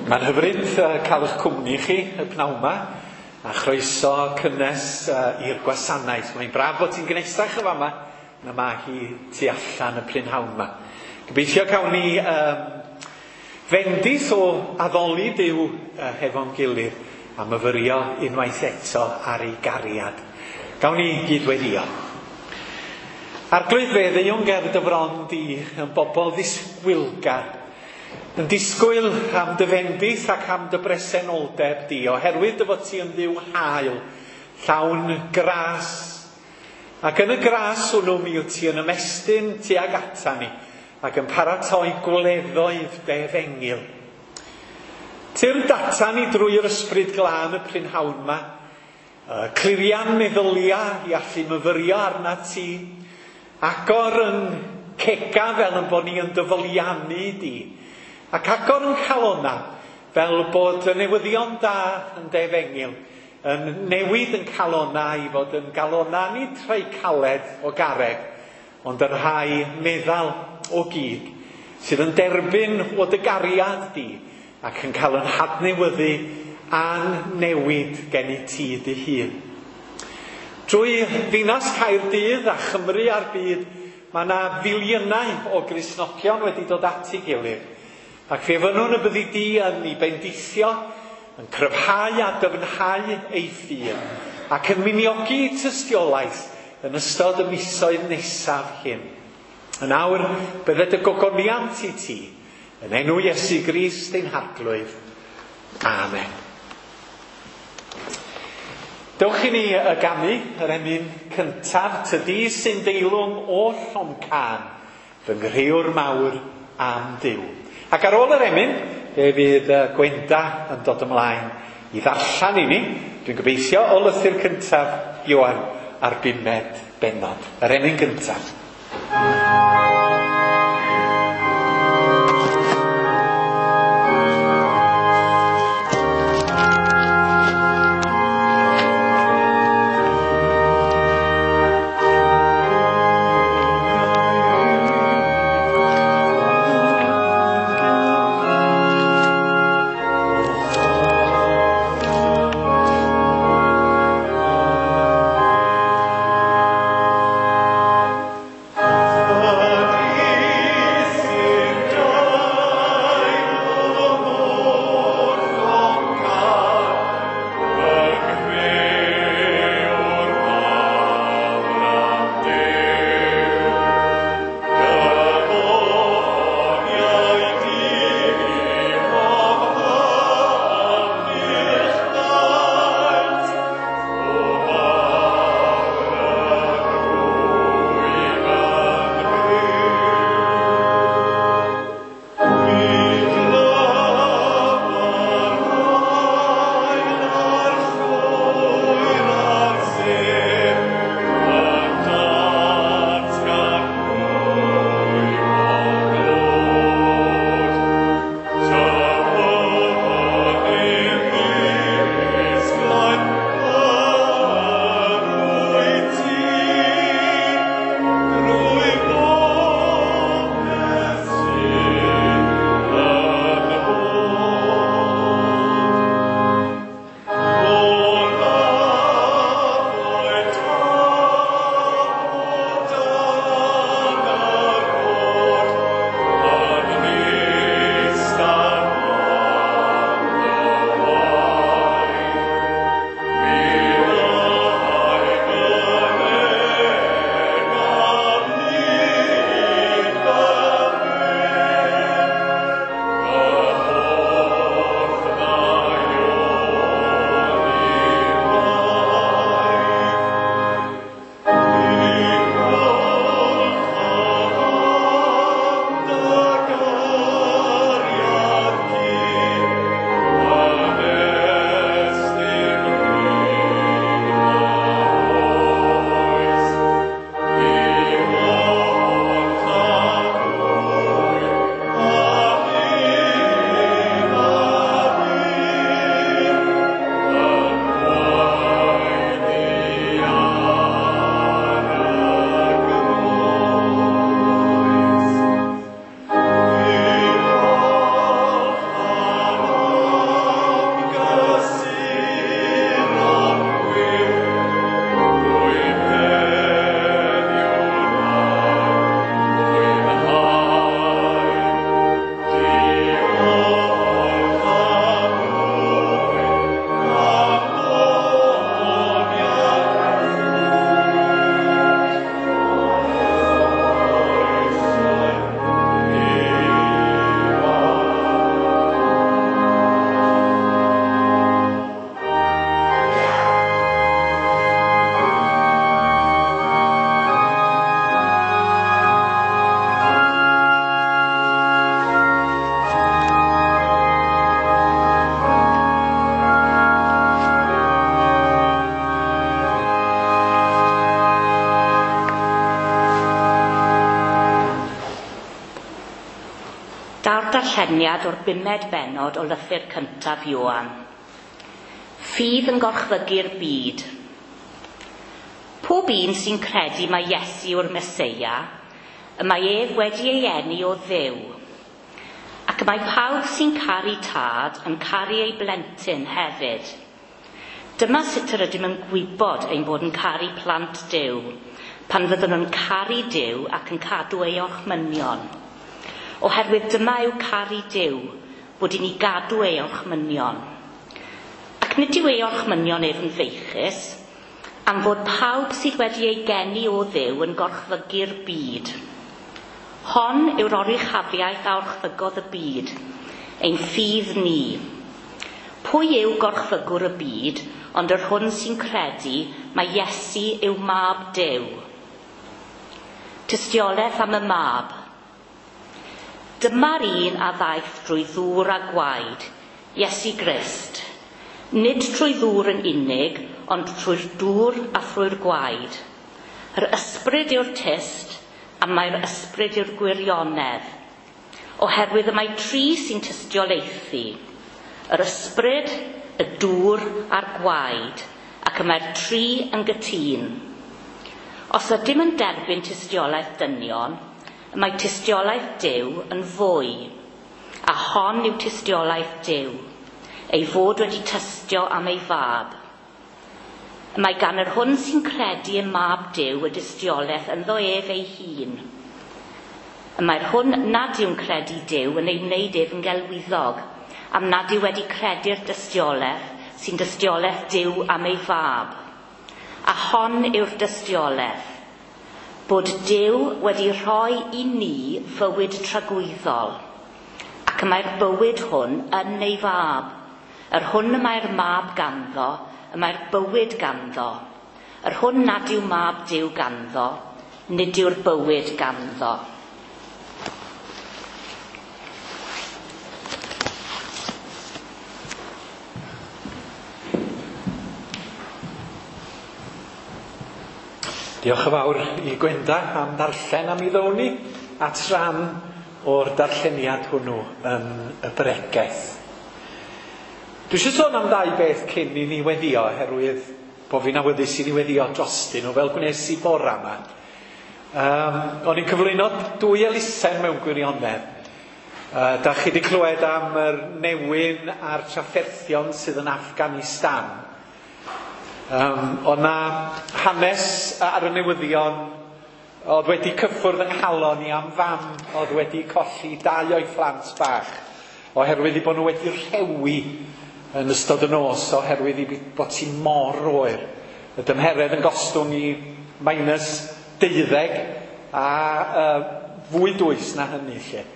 Mae'n hyfryd cael eich cwmni chi y pnawn 'ma, a chroeso cynnes i'r gwasanaeth. Mae'n braf bod ti'n gnesach yn fama na mae hi tu allan y prynhawn 'ma. Gobeithio cawn ni fendith o addoli Duw hefo'n gilydd a myfyrio unwaith eto ar ei gariad. Gawn ni gyd-weddïo. Arglwydd, fe ddeuwn ger dy fron di yn bobl ddisgwylgar, yn disgwyl am dy fendith ac am dy bresenoldeb di, oherwydd dy fod ti yn Dduw hael, llawn gras. Ac yn y gras hwnnw mi wyt ti yn ymestyn tuag ata ni ac yn paratoi gwleddoedd dy efengyl. Tyrd ata ni drwy'r Ysbryd Glân y prynhawn 'ma, clirian meddylia i allu myfyrio arna ti, agor yn cega fel yn bod ni yn dyfyliannu di, ac agor yn calona fel bod y newyddion da yn dy efengyl yn newid yn calona i fod yn galona nid rhai caled o garreg, ond y rhai meddal o gig, sydd yn derbyn o dy gariad di ac yn cael yn hadnewyddu a'n newid gen i ti dy hun. Drwy ddinas Caerdydd a Chymru a'r byd, mae yna filiynau o Gristnogion wedi dod at ei gilydd, ac fe fynnwn y byddi di yn ei bendithio, yn cryfhau a dyfnhau ei ffydd, ac yn miniogi tystiolaeth yn ystod y misoedd nesaf hyn. Yn awr, bydded y gogoniant i ti, yn enw Iesu Grist ein Harglwydd. Amen. Dewch i ni y ganu yr emyn cyntaf, Tydi sy'n deilwng oll o'm cân, fy nghrëwr mawr am Dduw. Ac ar ôl yr emyn, fe fydd Gwenda yn dod ymlaen i ddarllen i ni, dwi'n gobeithio, o lythyr cyntaf Ioan a'r bumed bennod. Yr emyn gyntaf. Oh. Daw'r darlleniad o'r bumed bennod o lythyr cyntaf Ioan. Ffydd yn gorchfygu'r byd. Pob un sy'n credu mai Iesu yw'r Meseia, y mae ef wedi ei eni o Dduw. Ac mae pawb sy'n caru tad yn caru ei blentyn hefyd. Dyma sut yr ydym yn gwybod ein bod yn caru plant Duw, pan fyddwn yn caru Duw ac yn cadw ei orchmynion. Oherwydd dyma yw caru Duw, bod i ni gadw ei orchmynion. Ac nid yw ei orchmynion ef yn feichus, am fod pawb sydd wedi ei geni o Dduw yn gorchfygu'r byd. Hon yw'r oruchafiaeth a orchfygodd y byd, ein ffydd ni. Pwy yw gorchfygwr y byd, ond yr hwn sy'n credu mai Iesu yw mab Duw? Tystiolaeth am y mab. Dyma'r un a ddaeth drwy ddŵr a gwaed, Iesu Grist. Nid trwy ddŵr yn unig, ond trwy'r dŵr a thrwy'r gwaed. Yr ysbryd yw'r tyst, a mae'r ysbryd yw'r gwirionedd. Oherwydd y mae tri sy'n tystiolaethu. Yr ysbryd, y dŵr a'r gwaed, ac y mae'r tri yn gytûn. Os ydym yn derbyn tystiolaeth dynion, y mae tystiolaeth Duw yn fwy, a hon yw tystiolaeth Duw, ei fod wedi tystio am ei fab. Y mae gan yr hwn sy'n credu ym mab Duw y dystiolaeth ynddo ef ei hun. Y mae'r hwn nad yw'n credu Duw yn ei wneud ef yn gelwyddog, am nad yw wedi credu'r dystiolaeth sy'n dystiolaeth Duw am ei fab. A hon yw'r dystiolaeth, bod Duw wedi rhoi i ni fywyd tragwyddol, ac y mae'r bywyd hwn yn ei fab. Yr hwn y mae'r mab ganddo, y mae'r bywyd ganddo. Yr hwn nad yw mab Duw ganddo, nid yw'r bywyd ganddo. Diolch yn fawr i Gwenda am ddarllen am i ddown ni at ran o'r darlleniad hwnnw yn y bregeth. Dwi eisiau sôn am ddau beth cyn i ni weddio, oherwydd bod fi'n awyddus i ni weddio drostyn nhw, fel gwnes i bora yma. O'n i'n cyflwyno dwy elusen mewn gwirionedd. Da chi wedi clywed am yr newyn a'r trafferthion sydd yn Afghanistan. O'na hanes ar y newyddion oedd wedi cyffwrdd yng nghalon i am fam oedd wedi colli dau o'i phlant bach oherwydd i bod nhw wedi rhewi yn ystod y nos oherwydd i bod hi mor oer. Y dymheredd yn gostwng i -12 a fwy dwys na hynny lle.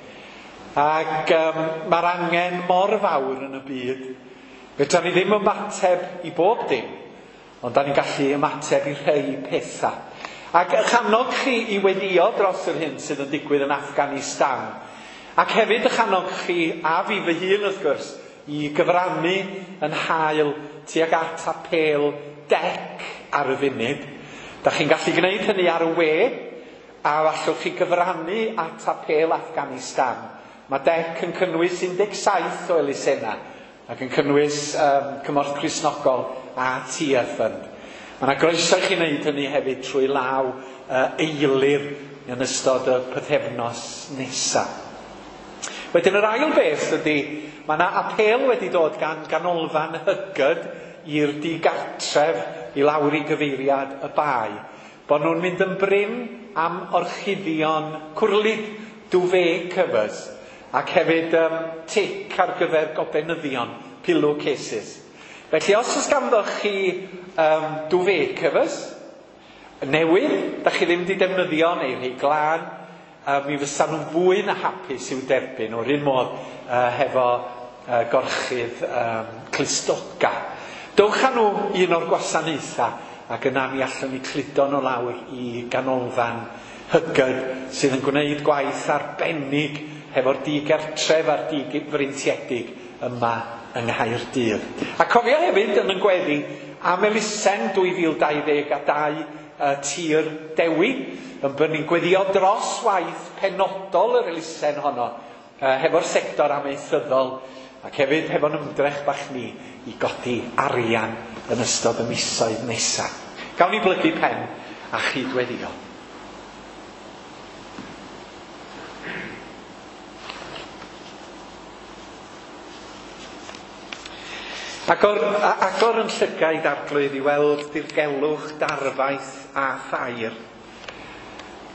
Ac mae'r angen mor fawr yn y byd. Fedra ni ddim ymateb i bob dim, ond da ni'n gallu ymateb i rhai pethau. Ac eich annog chi i weddio dros yr hyn sydd yn digwydd yn Afghanistan. Ac hefyd eich annog chi, a fi fy hun wrth gwrs, i gyfrannu yn hael tuag at apêl DEC ar y funud. Da chi'n gallu gwneud hynny ar y we, a allwch chi gyfrannu at apêl Afghanistan. Mae DEC yn cynnwys 17 o elusennau, ac yn cynnwys Cymorth Cristnogol a Tia Fund. Mae yna groeso i chi wneud hynny hefyd trwy law eilir yn ystod y pythefnos nesaf. Wedyn yr ail beth ydy, mae yna apêl wedi dod gan Ganolfan Huggard i'r digartref i lawr i gyfeiriad y bae, bod nhw'n mynd yn brin am orchuddion cwrlid, duvet covers, ac hefyd tic ar gyfer gobenyddion, pillowcases. Felly os oes ganddoch chi duvet covers newydd, da chi ddim wedi defnyddio neu rhai glân, mi fysa nhw'n fwy na hapus i'w derbyn o'r un modd hefo gorchudd clustoga. Dowch â nhw un o'r gwasanaethau ac yna mi allwn ni cludo nhw lawr i Ganolfan Huggard sydd yn gwneud gwaith arbennig hefo'r digartref a'r digfreintiedig yma yng Nghaerdydd. A cofio hefyd yn y gweddi am elusen 2022 'Tir Dewi', yn bod ni'n gweddio dros waith penodol yr elusen honno, hefo'r sector amaethyddol ac hefyd hefo'n ymdrech bach ni i godi arian yn ystod y misoedd nesaf. Gawn ni blygu pen a chydweddio. Agor yn llygaid Arglwydd i weld dirgelwch, darfaith a thair.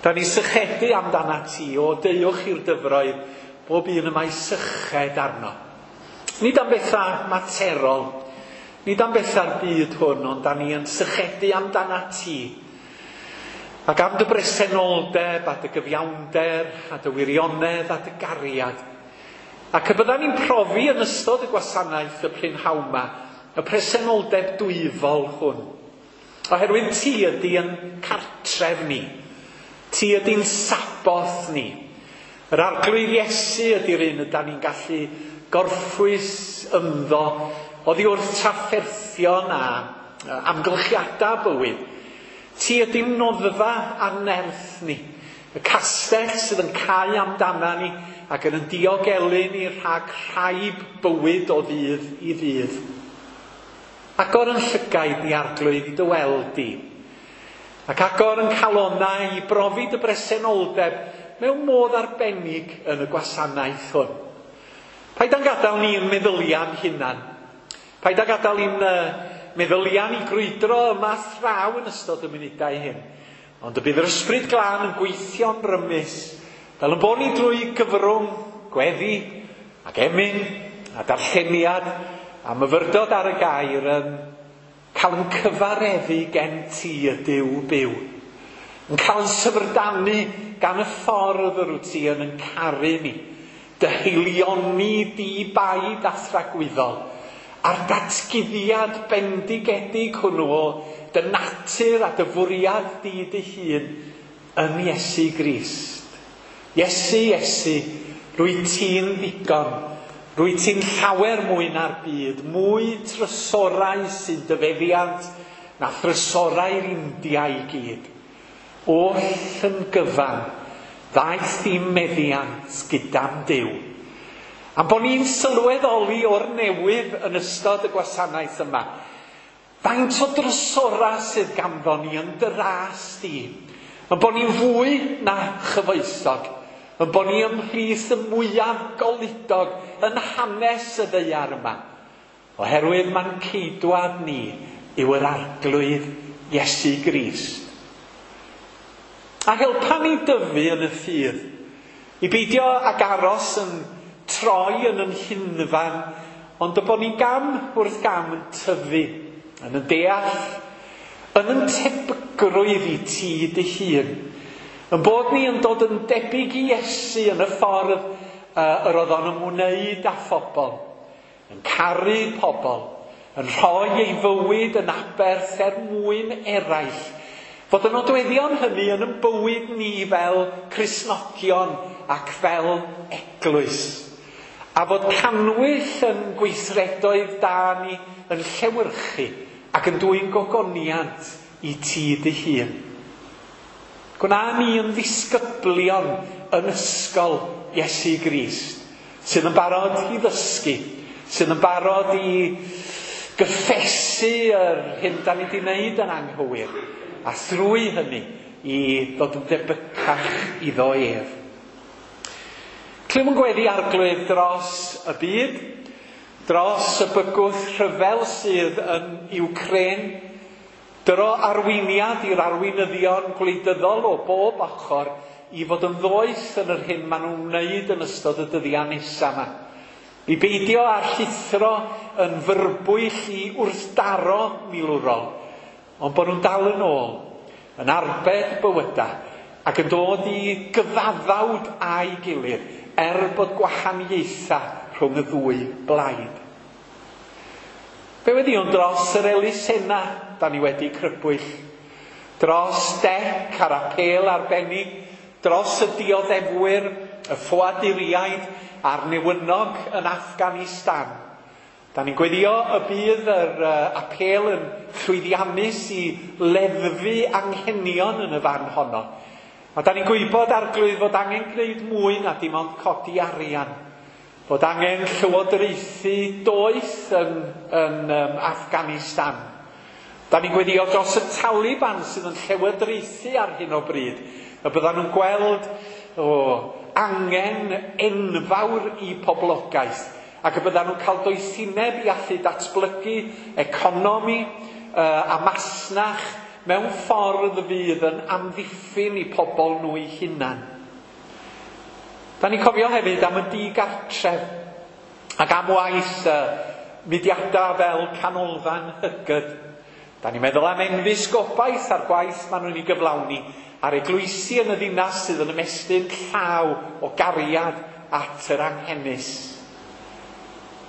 Da ni sychedu amdana ti, o deuwch i'r dyfroedd, bob un y mae syched arno. Nid am bethau materol, nid am bethau'r byd hwn, ond da ni yn sychedu amdana ti. Ac am dy bresenoldeb, a dy gyfiawnder, a dy wirionedd, a dy gariad. Ac y byddan ni'n profi yn ystod y gwasanaeth y prynhawn 'ma, y presenoldeb dwyfol hwn. Oherwydd ti ydy yn cartref ni. Ti ydy'n Saboth ni. Yr Arglwydd Iesu ydy'r un ydan ni'n gallu gorffwys ynddo oddi wrth trafferthion a amgylchiadau bywyd. Ti ydy'n noddfa a nerth ni. Y castell sydd yn cau amdana ni ac yn diogelu ni rhag rhaib bywyd o ddydd i ddydd. Agor yn llygaid ni, Arglwydd, i dy weld di. Ac agor yn calonnau i brofi dy bresenoldeb mewn modd arbennig yn y gwasanaeth hwn. Paid â'n gadael ni'n meddyliau'n hunan. Paid â gadael i'n meddyliau ni grwydro yma thraw yn ystod y munudau hyn. Ond y bydd yr Ysbryd Glân yn gweithio'n rymus, fel yn bod ni drwy gyfrwng gweddi ac emyn a darlleniad a myfyrdod ar y gair yn cael yn cyfareddu gen ti y Duw byw. Yn cael yn syfrdanu gan y ffordd yr wyt ti yn yn caru ni. Dy haelioni di baid a thragwyddol, a'r datguddiad bendigedig hwnnw o dy natur a dy fwriad di dy hun yn Iesu Grist. Iesu, Iesu, rwy ti'n ddigon, rwy ti'n llawer mwy na'r byd, mwy trysorau sy'n dy feddiant na thrysorau'r India i gyd. Oll yn gyfan, ddaeth i'n meddiant gyda'n Duw. Am bod ni'n sylweddoli o'r newydd yn ystod y gwasanaeth yma, faint o drysorau sydd ganddo ni yn dy ras di. Yn bod ni'n fwy na chyfoethog, yn bod ni ymhlith y mwyaf goludog yn hanes y ddaear yma. Oherwydd ma'n ceidwad ni yw yr Arglwydd Iesu Grist. A helpa ni dyfu yn y ffydd, i beidio ag aros yn troi yn yn hunfan, ond y bod ni gam wrth gam yn tyfu, yn y deall, yn yn tebygrwydd i ti dy hun. Yn bod ni yn dod yn debyg i Iesu yn y ffordd yr oedd o'n ymwneud â phobl, yn caru pobl, yn rhoi ei fywyd yn aberth er mwyn eraill. Fod y nodweddion hynny yn ein bywyd ni fel Cristnogion ac fel eglwys. A fod cannwyll yn gweithredoedd da ni yn llewyrchu ac yn dwyn gogoniant i ti dy hun. Gwna ni yn ddisgyblion yn ysgol Iesu Grist, sydd yn barod i ddysgu, sydd yn barod i gyffesu yr hyn da ni wedi wneud yn anghywir, a thrwy hynny i ddod yn debycach iddo ef. Clywn yn gweddi Arglwydd dros y byd, dros y bygwth rhyfel sydd yn Iwcrain, dyro arweiniad i'r arweinyddion gwleidyddol o bob ochr i fod yn ddoeth yn yr hyn maen nhw'n wneud yn ystod y dyddiau nesaf yma. I beidio â llithro yn fyrbwyll i wrthdaro milwrol, ond bod nhw'n dal yn ôl, yn arbed bywydau, ac yn dod i gyfaddawd â'i gilydd, er bod gwahaniaethau rhwng y ddwy blaid. Fe weddïwn dros yr elusennau da ni wedi crybwyll, dros dec a'r apêl arbennig, dros y dioddefwyr, y ffoaduriaid a'r newynog yn Afghanistan. Da ni'n gweddio y bydd yr apêl yn llwyddiannus i leddfu anghenion yn y fan honno, A da ni'n gwybod, Arglwydd, fod angen gwneud mwy na dim ond codi arian. Fod angen llywodraethu doeth yn Afghanistan. Da ni'n gweddio dros y Taliban sydd yn llywodraethu ar hyn o bryd. Y byddan nhw'n gweld angen enfawr i poblogaeth. Ac y byddan nhw'n cael doethineb i allu datblygu economi a masnach mewn ffordd fydd yn amddiffyn i pobl nhw eu hunan. Da ni'n cofio hefyd am y digartref ac am waith mudiadau fel Canolfan Hygyd. Da ni'n meddwl am enfys gobaith a'r gwaith maen nhw'n ei gyflawni a'r eglwysi yn y ddinas sydd yn ymestyn llaw o gariad at yr anghenus.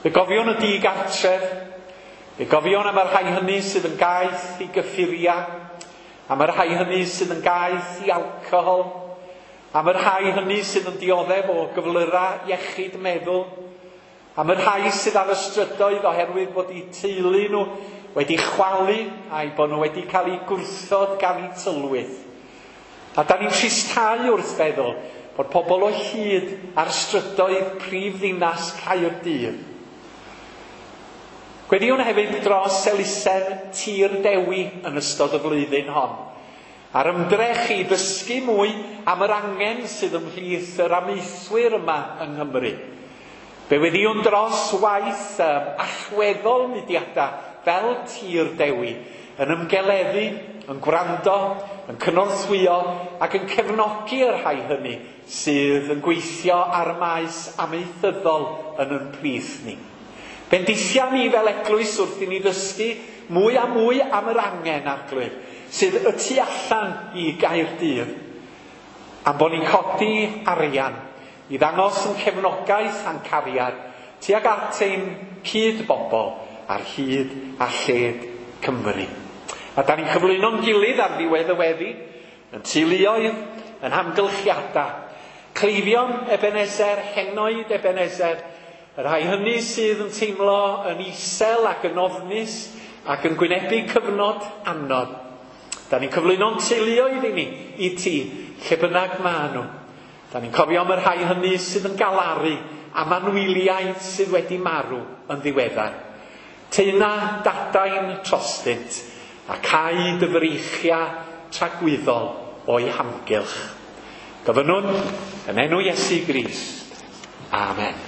Fe gofion y digartref, fe gofion am y rhai hynny sydd yn gaeth i gyffuriau, am y rhai hynny sydd yn gaeth i alcohol, am y rhai hynny sydd yn dioddef o gyflyrau iechyd meddwl, am y rhai sydd ar y strydoedd oherwydd bod eu teulu nhw wedi chwalu a'i bod nhw wedi cael eu gwrthod gan eu tylwyth. A da ni'n tristau wrth feddwl bod pobl o hyd ar strydoedd prif ddinas Caerdydd. Gweddiwn hefyd dros elusen Tir Dewi yn ystod y flwyddyn hon. A'r ymdrech i ddysgu mwy am yr angen sydd ymhlith yr amaethwyr yma yng Nghymru. Fe weddiwn dros waith allweddol mudiadau fel Tir Dewi yn ymgeleddu, yn gwrando, yn cynorthwyo ac yn cefnogi yr rhai hynny sydd yn gweithio ar y maes amaethyddol yn ein plith ni. Bendithia ni fel eglwys wrth i ni ddysgu mwy a mwy am yr angen, Arglwydd, sydd y tu allan i Gaerdydd. Am bod ni'n codi arian i ddangos yn cefnogaeth a'n cariad tuag at ein cyd-bobl ar hyd a lled Cymru. A da ni'n cyflwyno'n gilydd ar ddiwedd y weddi, yn teuluoedd, yn hamgylchiadau. Cleifion Ebenezer, henoed Ebenezer, y rhai hynny sydd yn teimlo yn isel ac yn ofnus ac yn gwynebu cyfnod anodd. Da ni'n cyflwyno'n teuluoedd i ni, i ti, lle bynnag ma nhw. Da ni'n cofio am y rhai hynny sydd yn galaru am anwyliaid sydd wedi marw yn ddiweddar. Teuna dadain trostynt a cau dy freichiau tragwyddol o'i hamgylch. Gofynnwn yn enw Iesu Grist. Amen.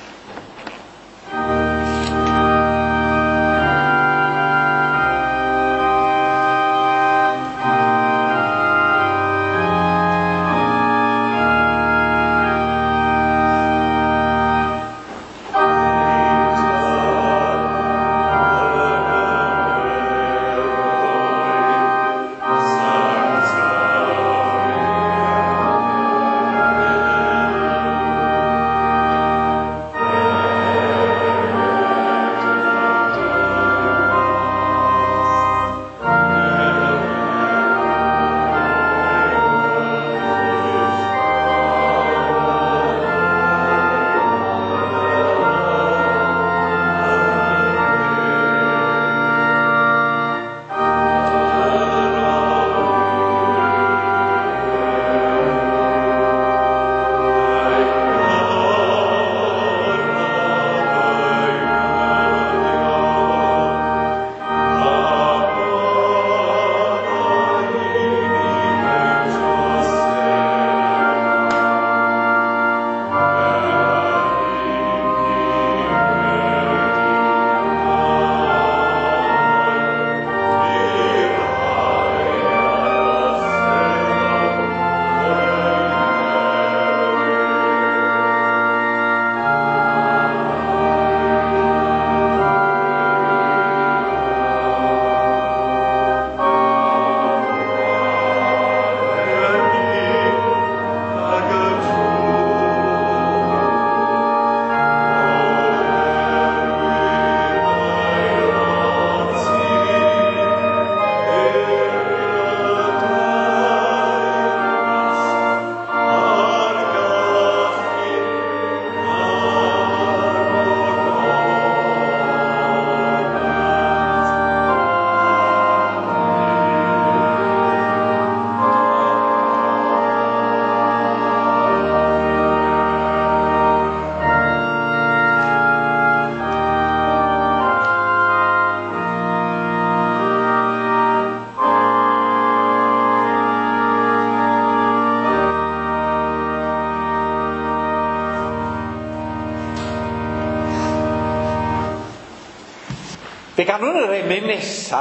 Fe ganwn yr emyn nesa,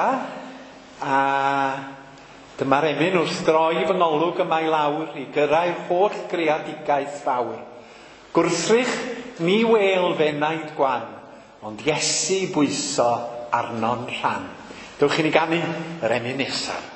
a dyma'r emyn wrth droi fy ngolwg yma i lawr i gyrraedd holl greadigaeth fawr. Gwrthrych ni wêl fenaid gwan, ond Iesu bwyso arno'n rhan. Dewch i ni ganu yr emyn nesaf.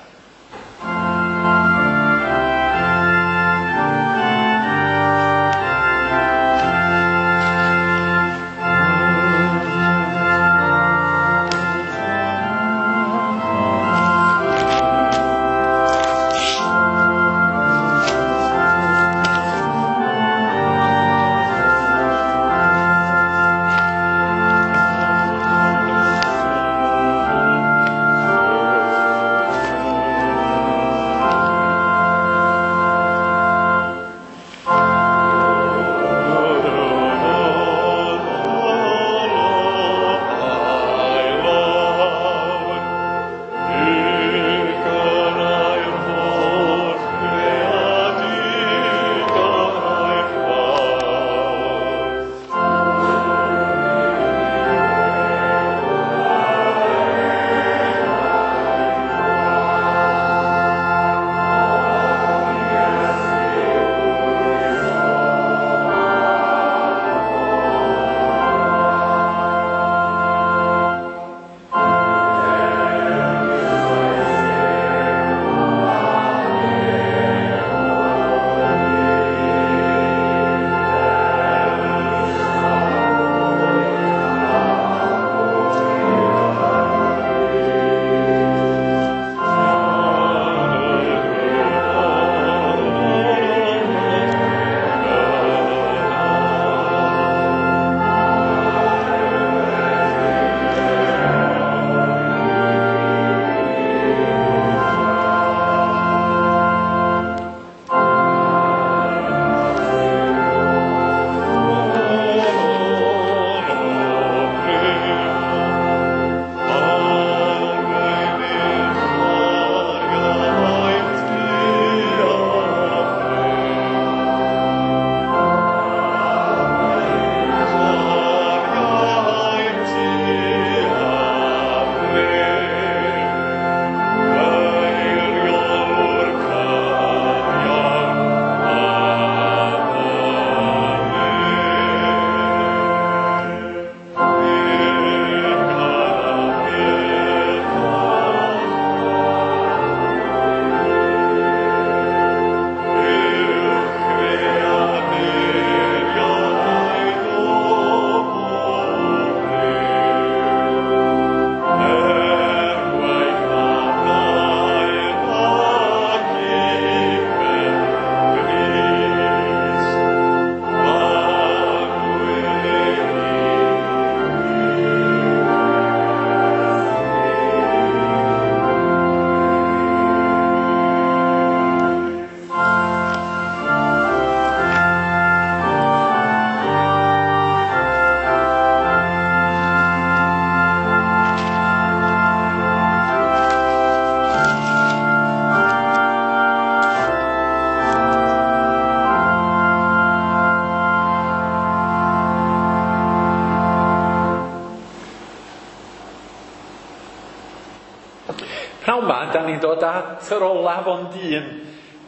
Pnawn 'ma, da ni'n dod at yr olaf ond un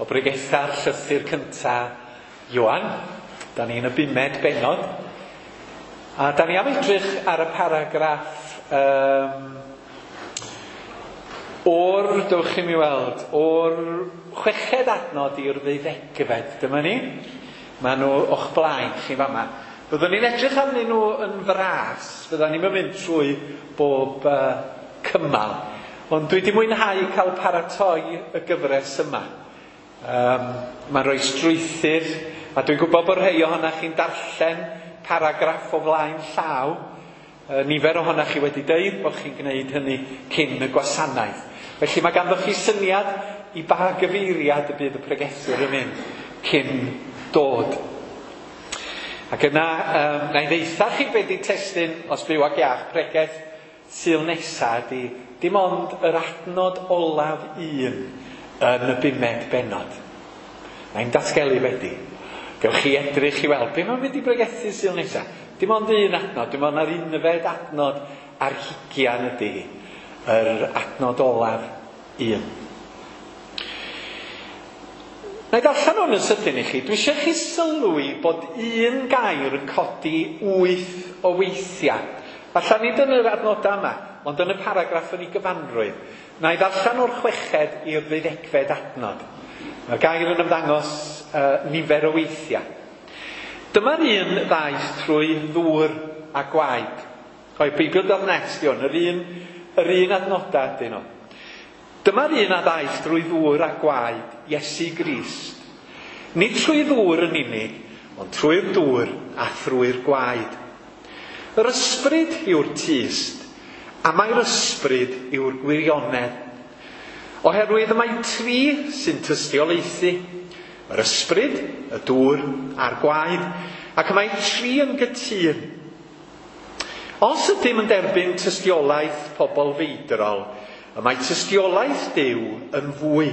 o bregetha'r llythyr cynta Ioan. Da ni'n y bumed bennod. A da ni am edrych ar y paragraff o'r, dewch i mi weld, o'r chweched adnod i'r ddeuddegfed. Dyma ni. Maen nhw o'ch blaen chi fama. Byddwn ni'n edrych arnyn nhw yn fras. Byddwn ni'n mynd trwy bob cymal. Ond dwi wedi mwynhau cael paratoi y gyfres yma. Mae'n rhoi strwythur, a dwi'n gwybod bod rhai ohonoch chi'n darllen paragraff o flaen llaw. Nifer ohonoch chi wedi deud bod chi'n gwneud hynny cyn y gwasanaeth. Felly mae ganddoch chi syniad i ba gyfeiriad y bydd y pregethwr yn mynd cyn dod. Ac yna, na i ddeitha chi be di testun, os byw ac iach, pregeth Sul nesa ydi dim ond yr adnod olaf un yn y bumed bennod. Mae'n datgelu wedi. Gewch chi edrych i weld be mae'n mynd i bregethu Sul nesa. Dim ond un adnod, dim ond yr unfed adnod ar hugian ydy yr adnod olaf un. Na i ddarllen hwn yn sydyn i chi. Dwi eisiau chi sylwi bod un gair yn codi 8 o weithiau. Falle nid yn yr adnodau yma, ond yn y paragraff yn ei gyfanrwydd. Na i ddarllen o'r 6fed i'r 12fed adnod. Mae'r gair yn ymddangos nifer o weithiau. Dyma'r un ddaeth trwy ddŵr a gwaed. O'i Beibl.net di hwn, yr un adnodau ydyn nhw. Dyma'r un a ddaeth drwy ddŵr a gwaed, Iesu Grist. Nid trwy ddŵr yn unig, ond trwy'r dŵr a thrwy'r gwaed. Yr ysbryd yw'r tyst, a mae'r ysbryd yw'r gwirionedd. Oherwydd y mae tri sy'n tystiolaethu, yr ysbryd, y dŵr a'r gwaed, ac y mae tri yn gytûn. Os ydym yn derbyn tystiolaeth pobl feidrol, y mae tystiolaeth Duw yn fwy.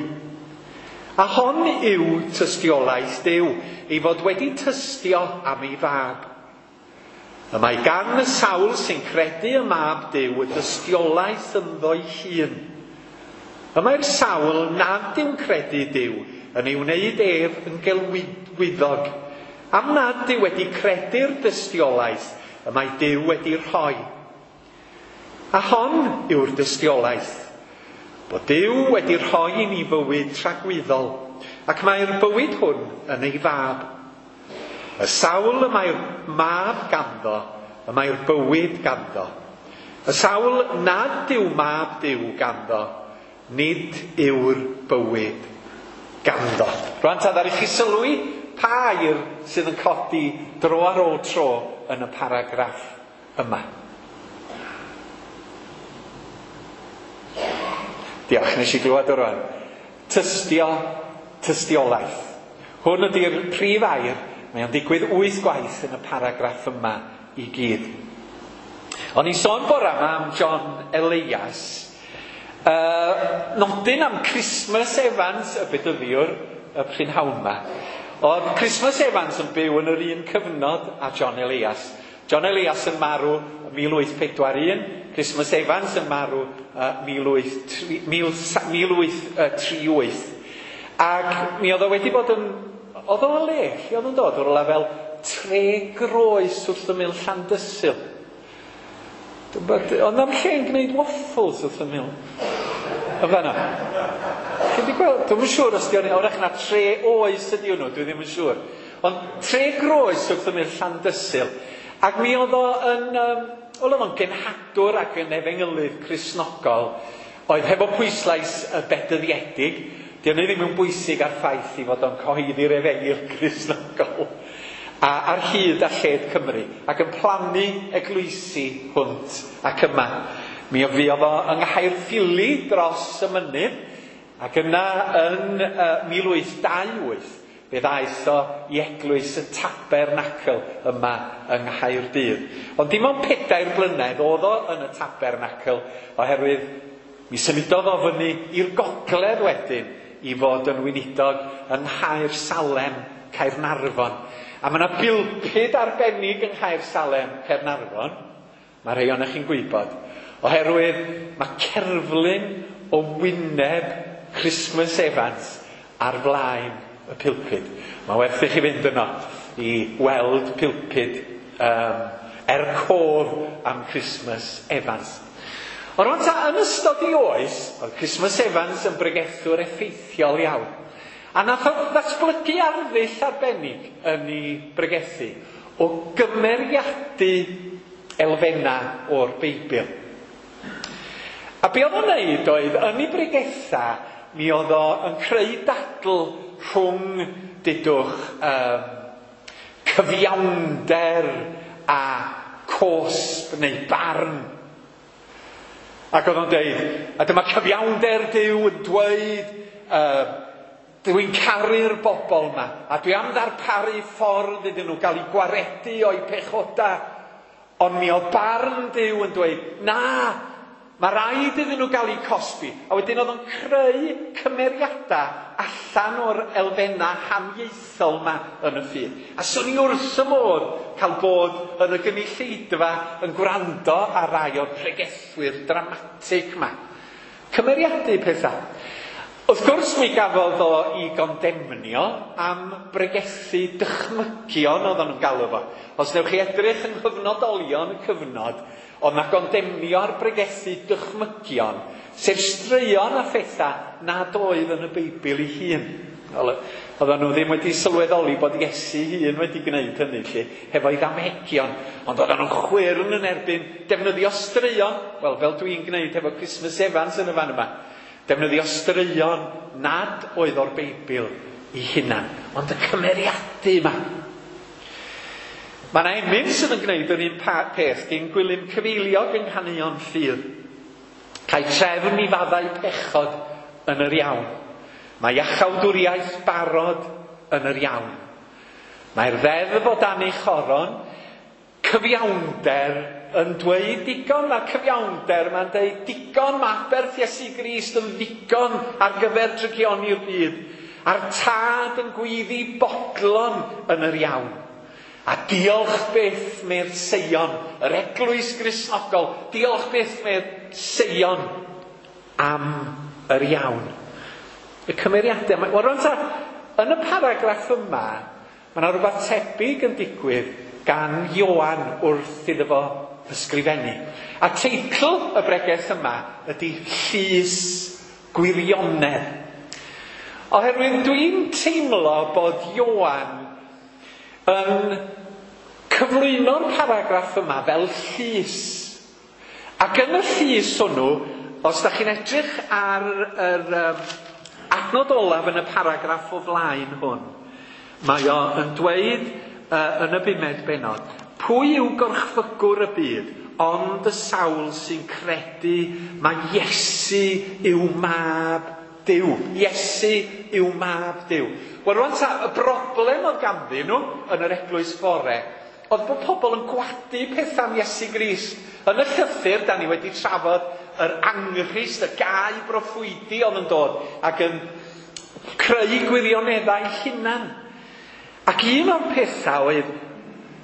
A hon yw tystiolaeth Duw, ei fod wedi tystio am ei fab. Y mae gan y sawl sy'n credu y mab Duw y dystiolaeth ynddo'i hun. Y mae'r sawl nad yw'n credu Duw yn ei wneud ef yn gelwyddog, am nad yw wedi credu'r dystiolaeth y mae Duw wedi rhoi. A hon yw'r dystiolaeth, bod Duw wedi rhoi i ni fywyd tragwyddol, ac mae'r bywyd hwn yn ei fab. Y sawl y mae'r mab ganddo, y mae'r bywyd ganddo. Y sawl nad yw mab Duw ganddo, nid yw'r bywyd ganddo. Rwan ta, ddaru chi sylwi pa air sydd yn codi dro ar ôl tro yn y paragraff yma. Diolch, nes i glywed o rwan. Tystio, tystiolaeth. Hwn ydy'r prif air, mae o'n digwydd 8 gwaith yn y paragraff yma i gyd. O'n i'n sôn bore yma am John Elias. Nodyn am Christmas Evans, y bedyddiwr, y prynhawn yma. Oedd Christmas Evans yn byw yn yr un cyfnod â John Elias. John Elias yn marw 1841, Christmas Evans yn marw 1838. Ac mi oedd o wedi bod yn... Oedd o le, lle oedd yn dod? O'r lefel Tre Groes wrth ymyl Llandysul. Ond am lle'n gwneud waffles wrth ymyl. Yn fanna. Chi wedi gweld? Dwi'm yn siŵr os di o'n... Wrach na Tre Oes ydi hwnnw, dwi ddim yn siŵr. Ond Tre Groes wrth ymyl Llandysul. Ac mi oedd o yn... Oedd o'n genhadwr ac yn efengylydd Cristnogol, oedd hefo pwyslais y bedyddiedig. Di hynny ddim yn bwysig ar ffaith i fod o'n cyhoeddi'r efengyl Cristnogol a ar hyd a lled Cymru, ac yn plannu eglwysi hwnt ac yma. Mi fuodd o yng Nghaerffili dros y mynydd, ac yna yn 1828 fe ddaeth o i eglwys y Tabernacl yma yng Nghaerdydd. Ond dim ond 4 blynedd oedd o yn y Tabernacl, oherwydd mi symudodd o fyny i'r gogledd wedyn i fod yn weinidog yng Nghaer Salem, Caernarfon. A mae yna bilpud arbennig yng Nghaer Salem, Caernarfon. Mae rhai ohonoch chi'n gwybod. Oherwydd mae cerflun o wyneb Christmas Evans ar flaen y pilpud. Mae werth i chi fynd yno i weld pilpud cof am Christmas Evans. Ond rwan ta, yn ystod ei oes, oedd Christmas Evans yn bregethwr effeithiol iawn. A nath o ddatblygu arddull arbennig yn ei bregethu o gymeriadu elfennau o'r Beibl. A be oedd o'n neud oedd, yn ei bregetha, mi oedd o yn creu dadl rhwng, dudwch, cyfiawnder a cosb neu barn. Ac oedd o'n deud, a dyma cyfiawnder Duw yn dweud, dwi'n caru'r bobl yma, a dwi am ddarparu ffordd iddyn nhw gael eu gwaredu o'u pechoda. Ond mi oedd barn Duw yn dweud, na, Mae rhaid iddyn nhw gael eu cosbi. A wedyn oedd o'n creu cymeriadau allan o'r elfennau haniaethol yma yn y ffydd. A swn i wrth y modd cael bod yn y gynulleidfa yn gwrando ar rai o'r pregethwyr dramatig yma. Cymeriadu pethau. Wrth gwrs mi gafodd o i gondemnio am bregethu dychmygion oedden nhw'n galw fo. Os newch chi edrych yng nghyfnodolion y cyfnod, oedd na gondemnio ar bregethu dychmygion, sef straeon a phethau nad oedd yn y Beibl ei hun. Oedden nhw ddim wedi sylweddoli bod Iesu hun wedi gwneud hynny, lle, hefo'i ddamhegion. Ond oedden nhw'n chwyrn yn erbyn defnyddio straeon, wel, fel dwi'n gwneud hefo Christmas Evans yn y fan yma. Defnyddio straeon nad oedd o'r Beibl i hunan, ond y cymeriadu yma. Mae yna emyn sydd yn gwneud yr un peth gyn Gwilym Cyfeiliog yng Nghaneuon Ffydd. Cael trefn i faddau pechod yn yr iawn. Mae iachawdwriaeth barod yn yr iawn. Mae'r ddeddf o dan ei choron, cyfiawnder yn dweud digon, mae'r cyfiawnder mae'n dweud digon, mae aberth Iesu Grist yn ddigon ar gyfer drygioni'r byd. A'r tad yn gwyddi bodlon yn yr iawn. A diolch byth mae'r Seion, yr eglwys Gristnogol, diolch byth mae'r Seion am yr iawn. Y cymeriadau, wel rwan ta, yn y paragraff yma, mae yna rhywbeth tebyg yn digwydd gan Ioan wrth iddo fo ysgrifennu. A teitl y bregeth yma ydy Llys Gwirionedd. Oherwydd dwi'n teimlo bod Ioan yn cyflwyno'r paragraff yma fel llys. Ac yn y llys hwnnw, os da chi'n edrych ar yr adnod olaf yn y paragraff o flaen hwn, mae o yn dweud yn y bumed bennod, pwy yw gorchfygwr y byd, ond y sawl sy'n credu mae Iesu yw mab Duw. Iesu yw mab Duw. Wel rwan ta, y broblem oedd ganddyn nhw yn yr eglwys fore, oedd bod pobl yn gwadu pethau am Iesu Grist. Yn y llythyr, da ni wedi trafod yr anghrist, y gau broffwydi oedd yn dod ac yn creu gwirioneddau hunan. Ac un o'r pethau oedd,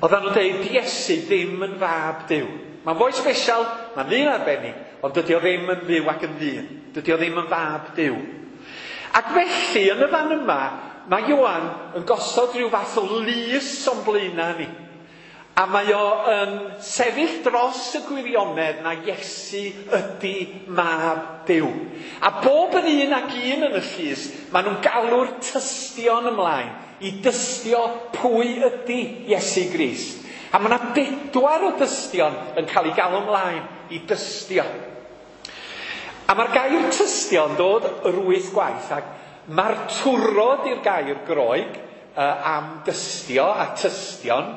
oedden nhw'n dweud, Iesu ddim yn fab Duw. Mae'n fwy special, mae'n ddyn arbennig, ond dydy o ddim yn fyw ac yn ddyn. Dydy o ddim yn fab Duw. Ac felly, yn y fan yma, mae Ioan yn gosod rhyw fath o lys o'n blaenau ni. A mae o yn sefyll dros y gwirionedd na Iesu ydy mab Duw. A bob yn un ac un yn y llys, maen nhw'n galw'r tystion ymlaen i dystio pwy ydy Iesu Grist. A mae yna 4 o dystion yn cael ei galw ymlaen i dystio. A mae'r gair tystio yn dod yr 8 gwaith, ac mae'r twrod i'r gair Groeg am dystio a tystion,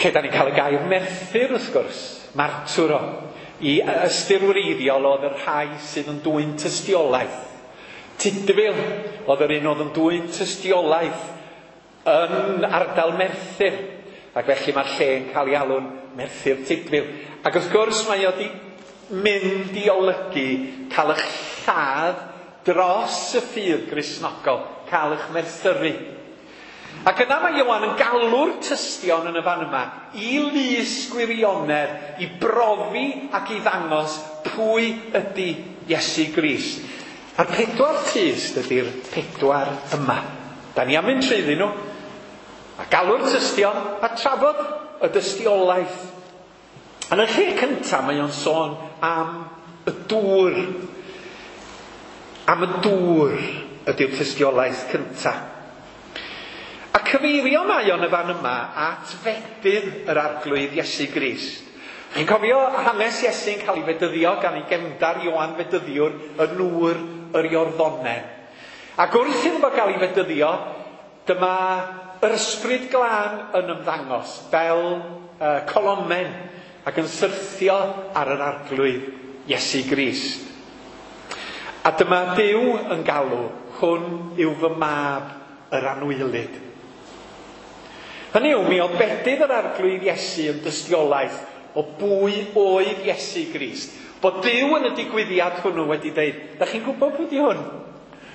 lle da ni'n cael y gair merthyr wrth gwrs, martwro, i ystyr wreiddiol oedd y rhai sydd yn dwyn tystiolaeth. Tudful oedd yr un oedd yn dwyn tystiolaeth yn ardal Merthyr, ac felly mae'r lle yn cael ei alw'n Merthyr Tudful. Ac wrth gwrs mae o wedi mynd i olygu cael eich lladd dros y ffydd Gristnogol, cael eich merthyru. Ac yna mae Ioan yn galw'r tystion yn y fan yma i lys gwirionedd, i brofi ac i ddangos pwy ydy Iesu Grist. A'r 4 tyst ydy'r 4 yma. Da ni am mynd trwyddyn nhw, a galw'r tystion a trafod y dystiolaeth. Yn y lle cyntaf mae o'n sôn am y dŵr. Am y dŵr ydy'r tystiolaeth cyntaf. A cyfeirio mae o'n y fan yma at fedydd yr Arglwydd Iesu Grist. Chi'n cofio hanes Iesu'n cael ei fedyddio gan ei gefndar Ioan Fedyddiwr yn nŵr yr Iorddonen. Ac wrth iddo fo gael ei fedyddio, dyma yr Ysbryd Glân yn ymddangos fel colomen ac yn syrthio ar yr Arglwydd Iesu Grist. A dyma Duw yn galw, hwn yw fy mab yr anwylyd. Hynny yw, mi oedd bedydd yr Arglwydd Iesu yn dystiolaeth o bwy oedd Iesu Grist. Bod Duw yn y digwyddiad hwnnw wedi dweud, da chi'n gwybod pwy di hwn?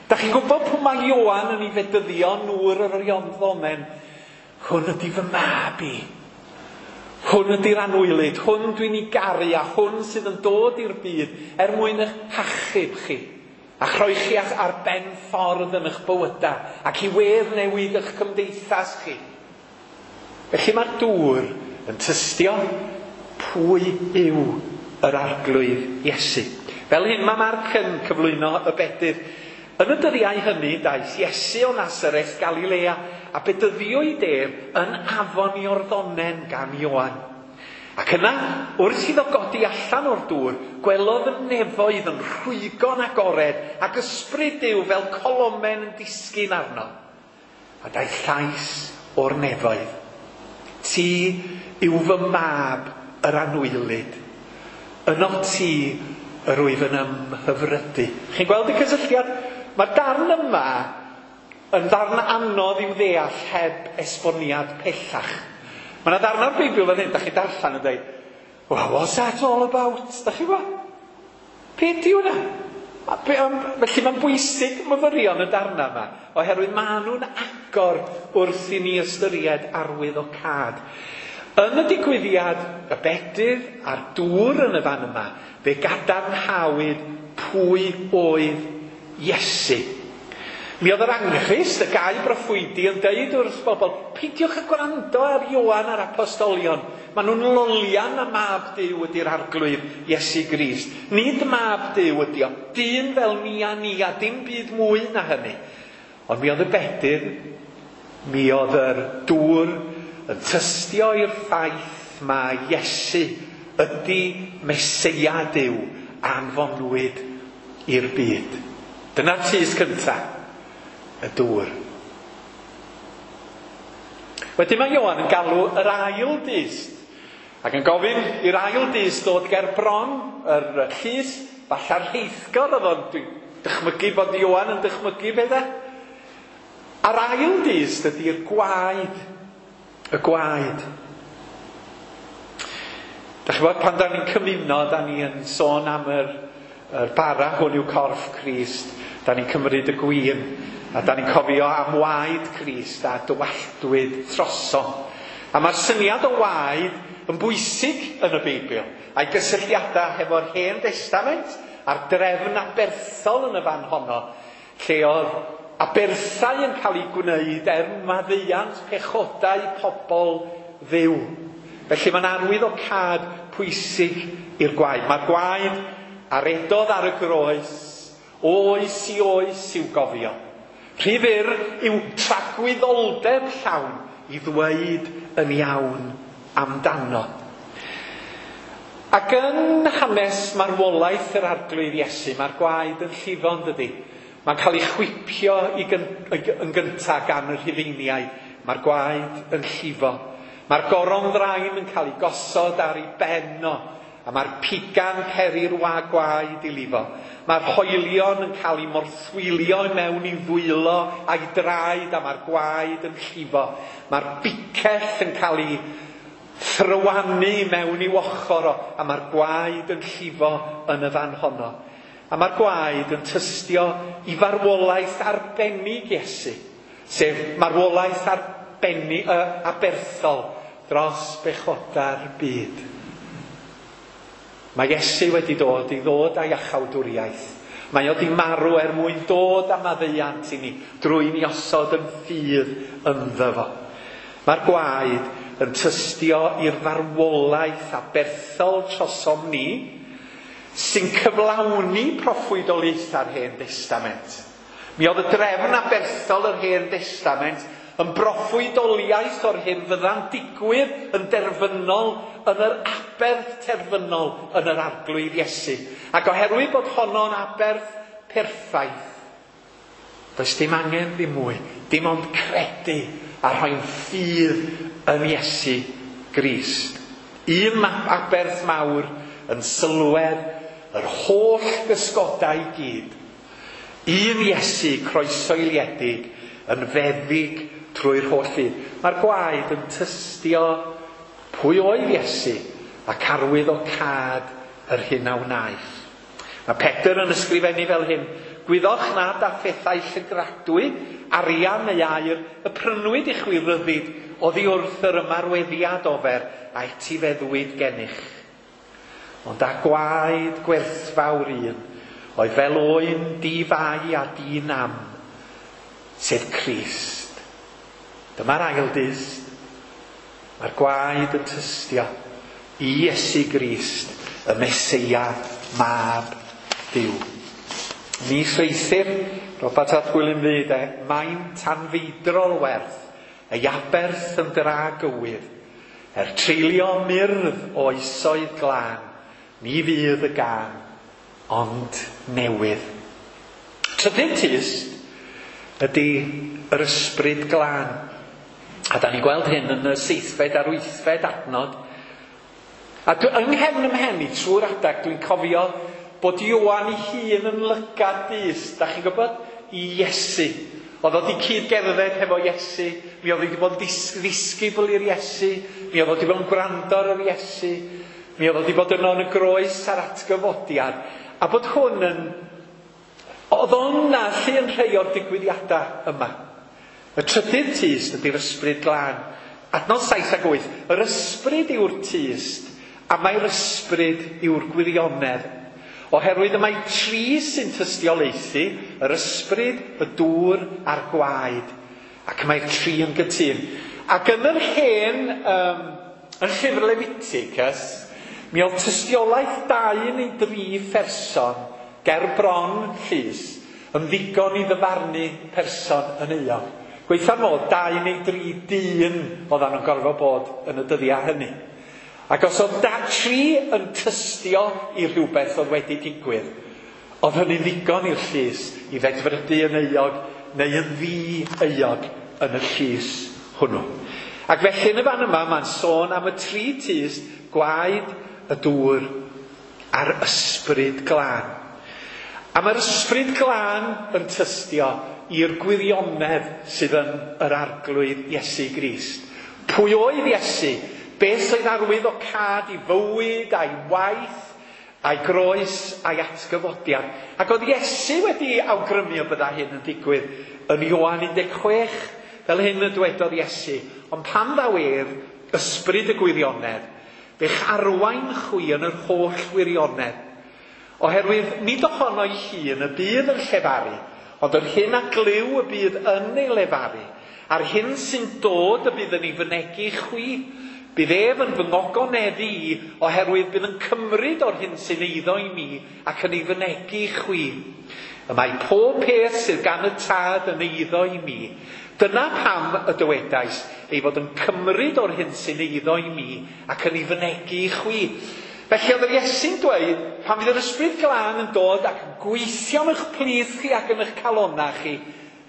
Da chi'n gwybod pwy mae Ioan yn ei fedyddio nŵr yr Iorddonen? Hwn ydi fy mab i. Hwn ydi'r anwylyd, hwn dwi'n ei garu a hwn sydd yn dod i'r byd er mwyn eich hachub chi. A chroi chi ar ben ffordd yn eich bywydau ac i wedd newid eich cymdeithas chi. Felly mae'r dŵr yn tystio pwy yw yr Arglwydd Iesu. Fel hyn mae Marc yn cyflwyno y bedydd. Yn y dyddiau hynny daeth Iesu o Nasareth Galilea a bedyddiwyd ef yn afon Iorddonen gan Ioan. Ac yna, wrth iddo godi allan o'r dŵr, gwelodd y nefoedd yn rhwygo'n agored ac ysbryd Duw fel colomen yn disgyn arno. A daeth llais o'r nefoedd. Ti yw fy mab yr anwylyd. Yno ti yr wyf yn ymhyfrydu. Chi'n gweld y cysylltiad? Mae'r darn yma yn ddarn anodd i'w ddeall heb esboniad pellach. Mae yna ddarn o'r Beibl fan hyn, da chi'n darllen yn dweud, well, what's that all about? Da chi'n gwybod? Be di hwnna? Felly mae'n bwysig myfyrio yn y darnau yma, oherwydd maen nhw'n agor wrth i ni ystyried arwydd o cad. Yn y digwyddiad, y bedydd a'r dŵr yn y fan yma, fe gadarnhawyd pwy oedd Iesu. Mi oedd yr anghrist, y gau broffwydi, yn deud wrth bobl, peidiwch â gwrando ar Ioan a'r apostolion. Maen nhw'n lolian na mab Duw ydy'r Arglwydd Iesu Grist. Nid mab Duw ydy o, dyn fel ni a ni a dim byd mwy na hynny. Ond mi oedd y bedydd, mi oedd yr dŵr yn tystio i'r ffaith mae Iesu ydy Meseia Duw anfonwyd i'r byd. Dyna'r tys cyntaf, y dŵr. Wedyn mae Ioan yn galw yr ail dyst ac yn gofyn i'r ail dyst ddod ger bron yr llys, falla'r rheithgor oedd o'n dychmygu bod Ioan yn dychmygu bethau. A'r ail dyst ydy'r gwaed. Y gwaed. Da chi'n gwybod, pan da ni'n cymuno, da ni yn sôn am yr bara hwn yw corff Crist. Da ni'n cymryd y gwin, a da ni'n cofio am waed Crist a dywalltwyd trosom. A mae'r syniad o waed yn bwysig yn y Beibl, a'i gysylltiadau hefo'r Hen Destament a'r drefn aberthol yn y fan honno, lle oedd aberthau yn cael eu gwneud er maddeuant pechodau pobl Dduw. Felly mae'n arwydd o cad pwysig i'r gwaed. Mae'r gwaed a redodd ar y groes, oes i oes i'w gofio. Rhy fyr yw tragwyddoldeb llawn i ddweud yn iawn amdano. Ac yn hanes marwolaeth yr Arglwydd Iesu, mae'r gwaed yn llifo, yn dydi? Mae'n cael ei chwipio yn gyntaf gan y Rhufeiniaid. Mae'r gwaed yn llifo. Mae'r goron ddrain yn cael ei gosod ar ei ben o, a mae'r pigan peri'r gwaed i lifo. Mae'r hoelion yn cael ei morthwylio i mewn i ddwylo a'i draed, a mae'r gwaed yn llifo. Mae'r bicell yn cael ei thrywanu mewn i'w ochr o, a mae'r gwaed yn llifo yn y fan honno. A mae'r gwaed yn tystio i farwolaeth arbennig Iesu, sef marwolaeth arbennig, aberthol dros bechodau'r byd. Mae Iesu wedi dod i ddod â'i iachawdwriaeth. Mae o 'di marw er mwyn dod â maddeuant i ni drwy ni osod yn ffydd ynddo fo. Mae'r gwaed yn tystio i'r farwolaeth aberthol trosom ni, sy'n cyflawni proffwydoliaethau'r Hen Destament. Mi oedd y drefn aberthol yr Hen Destament yn broffwydoliaeth o'r hyn fydda'n digwydd yn derfynol yn yr aberth terfynol yn yr Arglwydd Iesu. Ac oherwydd bod honno'n aberth perffaith, does dim angen ddim mwy, dim ond credu a rhoi'n ffydd yn Iesu Grist. Un aberth mawr yn sylwedd yr holl gysgodau i gyd. Un Iesu croesoeliedig yn feddyg trwy'r holl fyd. Mae'r gwaed yn tystio pwy oedd Iesu ac arwydd o cad yr hyn a wnaeth. Mae Pedr yn ysgrifennu fel hyn, gwyddoch nad â phethau llygradwy, arian neu aur, y prynwyd i chwi ryddid oddi wrth yr ymarweddiad ofer a etifeddwyd gennych. Ond â gwaed gwerthfawr un, oedd fel oen di-fai a di-nam, sef Crist. Dyma'r ail dyst. Mae'r gwaed yn tystio i Iesu Grist, y Meseia, mab Duw. Mis Rheithir, Robert ap Gwilym Ddu, de, maint anfeidrol werth, ei aberth yn dra gywydd, er treulio myrdd o oesoedd glân, ni fydd y gân, ond newydd. Trydydd tyst ydy yr ysbryd glân. A da ni'n gweld hyn yn y seithfed a'r wythfed adnod. A dwi, yng nghefn 'y mhen i trwy'r adag dwi'n cofio bod Ioan ei hun yn lygad dyst, da chi'n gwybod, i Iesu. Oedd o wedi cyd-gerdded hefo Iesu, mi oedd wedi bod yn ddisgybl i'r Iesu, mi oedd wedi bod yn gwrando ar yr Iesu, mi oedd wedi bod yno yn y groes a'r atgyfodiad. A bod hwn yn... Oedd o'n na lle yn rhai o'r digwyddiadau yma. Y trydydd tyst ydy'r ysbryd glân. Adnod 7 ac 8. Yr ysbryd yw'r tyst, a mae'r ysbryd yw'r gwirionedd. Oherwydd y mae tri sy'n tystiolaethu, yr ysbryd, y dŵr a'r gwaed. Ac mae'r tri yn gytûn. Ac yn yr hen, yn llyfr Leviticus, mi oedd tystiolaeth 2 neu 3 pherson ger bron llys yn ddigon i ddyfarnu person yn euog. Gweitha'r modd, 2 neu 3 dyn oeddan nhw'n gorfod bod yn y dyddiau hynny. Ac os oedd 3 yn tystio i rhywbeth oedd wedi digwydd, oedd hynny'n ddigon i'r llys i ddedfrydu yn euog neu yn ddi-euog yn y llys hwnnw. Ac felly yn y fan yma mae'n sôn am y tri tyst, gwaed, y dŵr a'r ysbryd glân. A mae'r ysbryd glân yn tystio i'r gwirionedd sydd yn yr Arglwydd Iesu Grist. Pwy oedd Iesu? Beth oedd arwydd o cad i fywyd a'i waith, a'i groes, a'i atgyfodiad. Ac oedd Iesu wedi awgrymu y bydda hyn yn digwydd yn Ioan 16, fel hyn y dwedodd Iesu. Ond pan ddaw ef, ysbryd y gwirionedd, fe'ch arwain chwi yn yr holl wirionedd. Oherwydd nid ohono'i hun y bydd yn llefaru, ond yr hyn a glyw y bydd yn ei lefaru, a'r hyn sy'n dod y bydd yn ei fynegi chwi. Bydd ef yn fy ngogoneddu i, oherwydd bydd yn cymryd o'r hyn sy'n eiddo i mi ac yn ei fynegi chwi. Y mae pob peth sydd gan y Tad yn eiddo i mi. Dyna pam y dywedais ei fod yn cymryd o'r hyn sy'n eiddo i mi ac yn ei fynegi chwi. Felly oedd yr Iesu'n dweud, pan fydd yr ysbryd glân yn dod ac yn gweithio yn eich plith chi ac yn eich calonnau chi,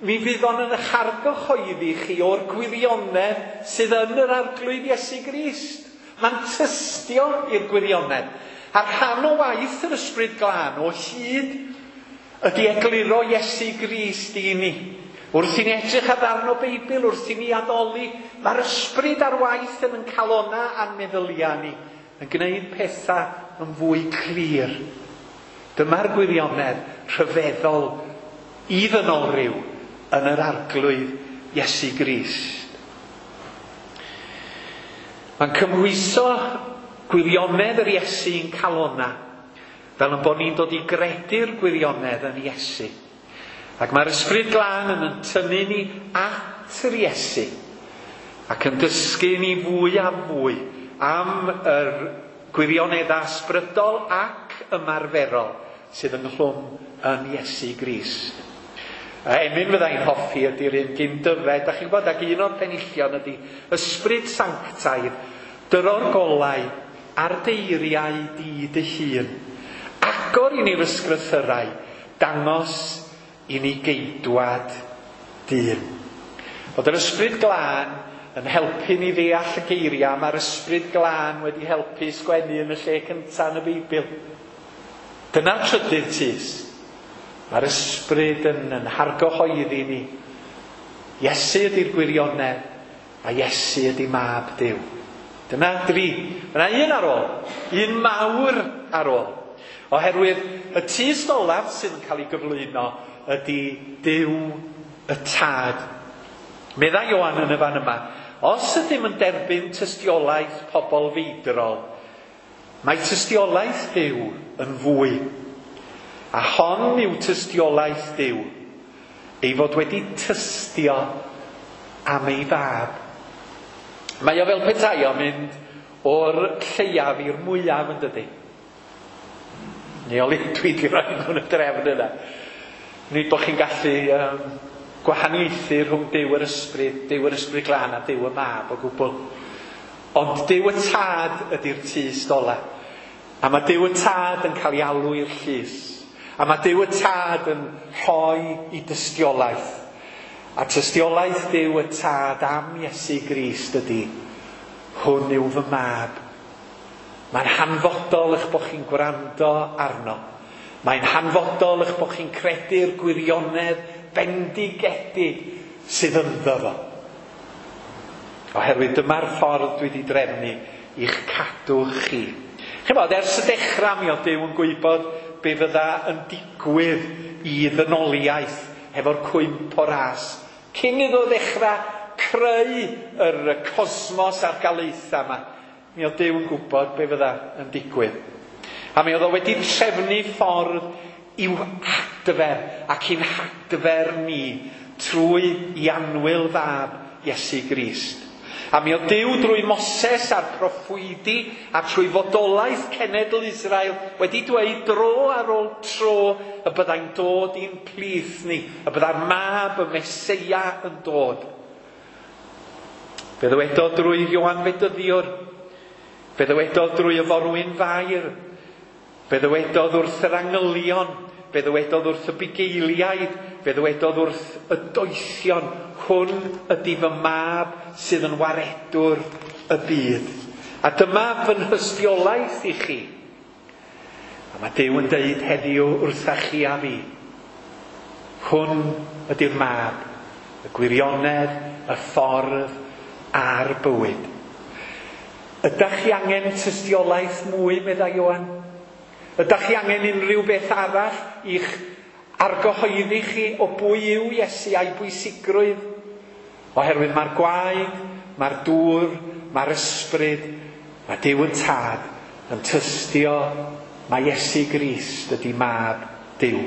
mi fydd o'n yn eich argyhoeddi chi o'r gwirionedd sydd yn yr Arglwydd Iesu Grist. Mae'n tystio i'r gwirionedd. A rhan o waith yr ysbryd glân o hyd ydy egluro Iesu Grist i ni. Wrth i ni edrych ar ddarn o Beibl, wrth i ni addoli, mae'r ysbryd ar waith yn ein calonnau a'n meddyliau ni, yn gwneud pethau yn fwy clir. Dyma'r gwirionedd rhyfeddol i ddynol ryw yn yr Arglwydd Iesu Grist. Mae'n cymhwyso gwirionedd yr Iesu i'n calonnau, fel yn bod ni'n dod i gredu'r gwirionedd yn Iesu. Ac mae'r ysbryd glân yn tynnu ni at yr Iesu ac yn dysgu ni fwy a fwy am yr gwirioneddau ysbrydol ac ymarferol sydd ynghlwm yn Iesu Grist. A emyn fyddai'n hoffi ydy'r un gyn Dyfed, da chi'n gwybod, ac un o'r penillion ydy ysbryd sanctaidd, dyro'r golau a'r deiriau di dy hun. Agor i ni'r ysgrythyrau, dangos i ni geidwad dyn. Bod yr ysbryd glân yn helpu ni ddeall y geiriau, mae'r ysbryd glân wedi helpu sgwennu yn y lle cyntaf yn y Beibl. Dyna'r trydydd tyst. Mae'r ysbryd yn hargyhoeddi ni. Iesu ydy'r gwirionedd, a Iesu ydy mab Duw. Dyna dri. Mae yna un ar ôl. Un mawr ar ôl. Oherwydd y tyst olaf sydd yn cael ei gyflwyno ydy Duw y Tad. Meddai Ioan yn y fan yma, os ydym yn derbyn tystiolaeth pobl feidrol, mae tystiolaeth Duw yn fwy. A hon yw tystiolaeth Duw, ei fod wedi tystio am ei fab. Mae o fel petai o'n mynd o'r lleiaf i'r mwyaf, yn dydy? Neu o dwi wedi rhoi nhw'n y drefn yna. Nid bod chi'n gallu gwahaniaethu rhwng Duw yr Ysbryd, Duw yr Ysbryd Glân a Duw y Mab o gwbl. Ond Duw y Tad ydy'r tyst ola. A mae Duw y Tad yn cael ei alw i'r llys. A mae Duw y Tad yn rhoi i dystiolaeth. A tystiolaeth Duw y Tad am Iesu Grist ydy, hwn yw fy mab. Mae'n hanfodol eich bod chi'n gwrando arno. Mae'n hanfodol eich bod chi'n credu'r gwirionedd bendigedig sydd ynddo fo. Oherwydd dyma'r ffordd dwi wedi drefnu i'ch cadw chi. Ch'mod, ers y dechrau mi oedd Duw yn gwybod be fydda yn digwydd i ddynoliaeth hefo'r cwymp o ras. Cyn iddo ddechrau creu yr cosmos a'r galaethau yma, mi oedd Duw yn gwybod be fydda yn digwydd. A mi oedd o wedi trefnu ffordd i'w hadfer ac i'n hadfer ni trwy i annwyl fab Iesu Grist. A mi oedd Duw drwy Moses a'r proffwydi a trwy fodolaeth cenedl Israel wedi dweud dro ar ôl tro y byddai'n dod i'n plith ni, y byddai'r mab y Meseia yn dod. Fe ddywedodd drwy Ioan Fedyddiwr, fe ddywedodd drwy y forwyn Fair, fe ddywedodd wrth yr angylion, fe ddywedodd wrth y bugeiliaid, fe ddywedodd wrth y doethion, hwn ydy fy mab sydd yn waredwr y byd. A dyma fy nhystiolaeth i chi. A mae Duw yn deud heddiw wrtha chi a fi. Hwn ydy'r mab, y gwirionedd, y ffordd a'r bywyd. Ydach chi angen tystiolaeth mwy, meddai Ioan? Ydach chi angen unrhyw beth arall i'ch argyhoeddi chi o bwy yw Iesu a'i bwysigrwydd? Oherwydd mae'r gwaed, mae'r dŵr, mae'r ysbryd, mae Duw yn Tad yn tystio mae Iesu Grist ydy mab Duw.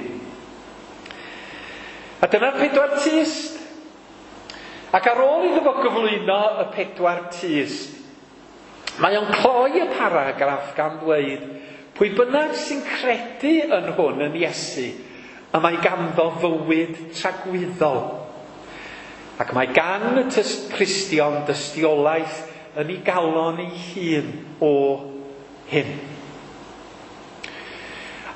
A dyna'r pedwar tyst. Ac ar ôl iddo fo gyflwyno y pedwar tyst, mae o'n cloi y paragraff gan ddweud, pwy bynnag sy'n credu yn hwn yn Iesu, y mae ganddo fywyd tragwyddol. Ac mae gan y Cristion dystiolaeth yn ei galon ei hun o hyn.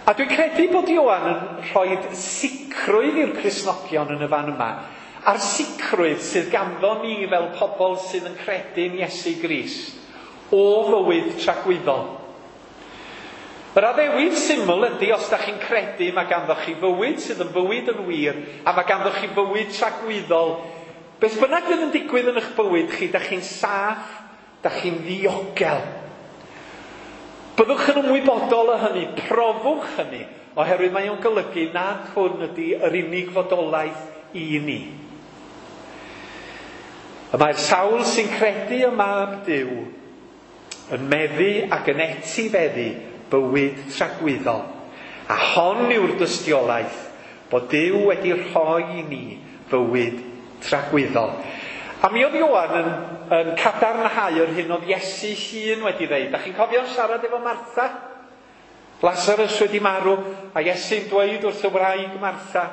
A dwi'n credu bod Ioan yn rhoi sicrwydd i'r Cristnogion yn y fan yma, a'r sicrwydd sydd ganddo ni fel pobl sydd yn credu'n Iesu Grist, o fywyd tragwyddol. Yr addewid syml ydy, os da chi'n credu, mae ganddo chi fywyd sydd yn fywyd yn wir, a mae ganddo chi fywyd tragwyddol. Beth bynnag fydd yn digwydd yn eich bywyd chi, da chi'n saff, da chi'n ddiogel. Byddwch yn ymwybodol o hynny, profwch hynny, oherwydd mae o'n golygu nad hwn ydy yr unig fodolaeth i ni. Y mae'r sawl sy'n credu y mab Duw yn meddu ac yn etifeddu bywyd tragwyddol. A hon yw'r dystiolaeth bod Duw wedi rhoi i ni fywyd tragwyddol. A mi oedd Ioan yn cadarnhau yr hyn oedd Iesu hun wedi ddeud. Da chi'n cofio siarad efo Martha? Lazarus wedi marw, a Iesu'n dweud wrth y wraig Martha,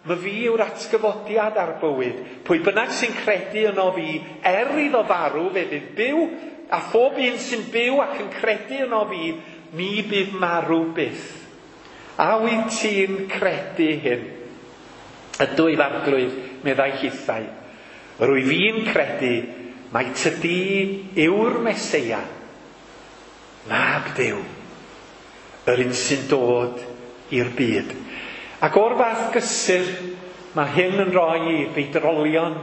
"My fi yw'r atgyfodiad a'r bywyd. Pwy bynnag sy'n credu yno fi, er iddo farw, fe fydd byw, a phob un sy'n byw ac yn credu yno fi, mi bydd marw byth." A wyt ti'n credu hyn? Ydw i Arglwydd, meddai hithau. Rwyf fi'n credu mai tydi yw'r Meseia, mab Duw, yr un sy'n dod i'r byd. Ac o'r fath gysur, mae hyn yn rhoi i feidrolion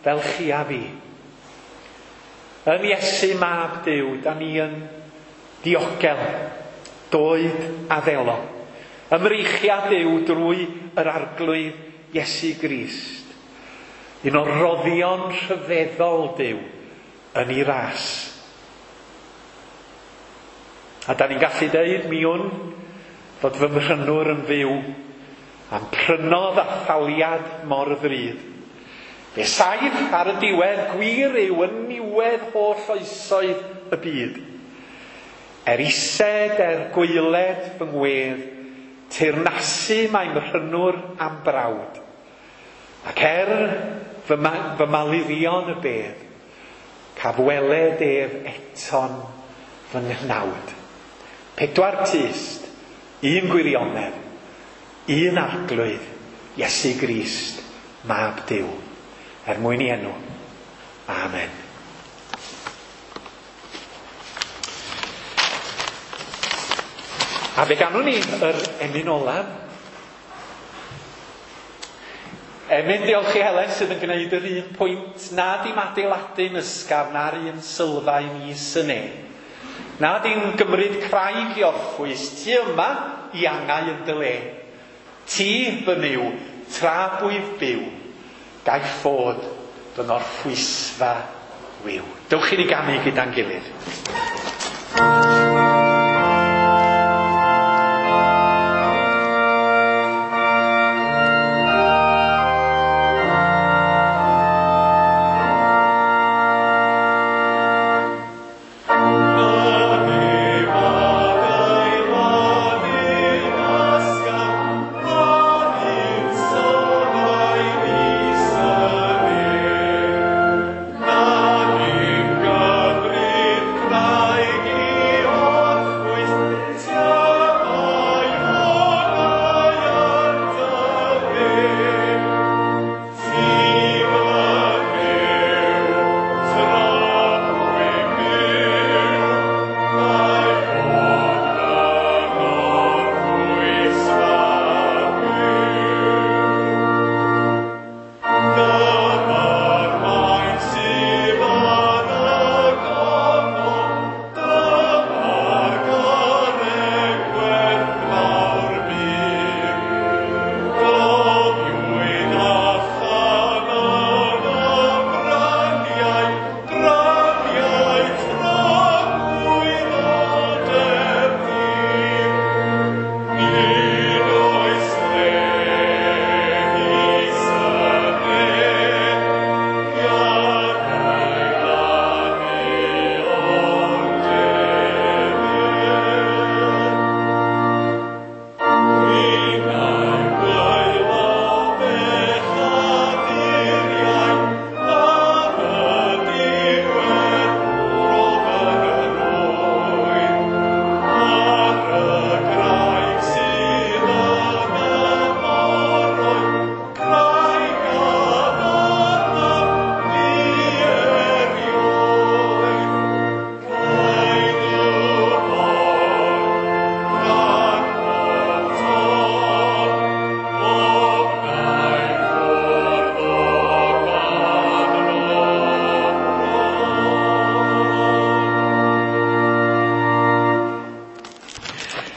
fel chi a fi. Yn Iesu mab Duw, da ni yn diogel, doed a ddelo. Ymreichiad Duw drwy yr Arglwydd Iesu Grist. Un o roddion rhyfeddol Duw yn ei ras. A da ni'n gallu deud mi wn fod fy mhrynwr yn fyw a'm prynodd a thaliad mor ddrud. Fe saif ar y diwedd gwir yw yn niwedd holl oesoedd y byd. Er ised, er gwaeled fy ngwedd, teyrnasu mae mhrynwr am brawd. Ac er fy, ma fy malurion y bedd, caf weled ef eto'n fy nghnawd. 4 tyst, 1 gwirionedd, 1 arglwydd, Iesu Grist, mab Duw. Er mwyn i enw. Amen. A fe ganwn ni yr emyn olaf. Emyn diolch i Helen sydd yn gwneud yr un pwynt na dim adeiladu'n ysgafn na'r un sylfaen is y ne. Na dim gymryd craig i orffwys, ti yma i angau yn dy le. Ti fy myw, tra bwyf byw, gai ffod fy ngorffwysfa wiw. Dewch i ni ganu gyda'n gilydd.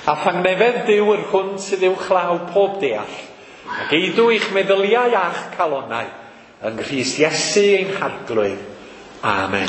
A thangnefedd Duw yr hwn sydd uwchlaw pob deall, ac eidw eich meddyliau a'ch calonnau, yng Nghrist Iesu ein Harglwydd. Amen.